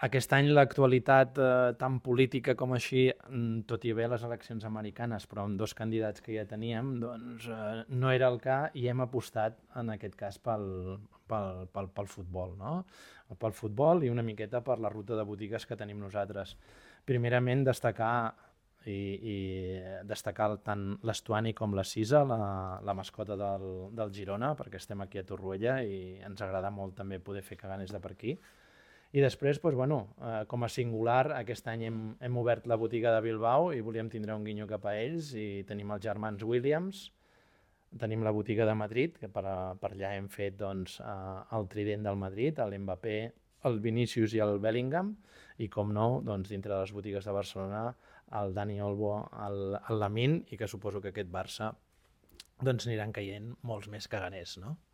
Aquest any l'actualitat tan política com així, tot i haver les eleccions americanes, però amb dos candidats que ja teníem, doncs no era el cas i hem apostat en aquest cas pel futbol, no? Pel futbol i una miqueta per la ruta de botigues que tenim nosaltres. Primerament i destacar tant l'Estuani com la Sisa, la mascota del Girona, perquè estem aquí a Torroella i ens agrada molt també poder fer caganes de per aquí. I després, doncs, bueno, com a singular, aquest any hem obert la botiga de Bilbao i volíem tindre un guinyo cap a ells i tenim els germans Williams, tenim la botiga de Madrid, que per allà hem fet doncs, el trident del Madrid, l'Mbappé, el Vinícius i el Bellingham, i com no, doncs, dintre de les botigues de Barcelona, el Dani Olmo, el Lamine, i que suposo que aquest Barça doncs, aniran caient molts més caganers, no?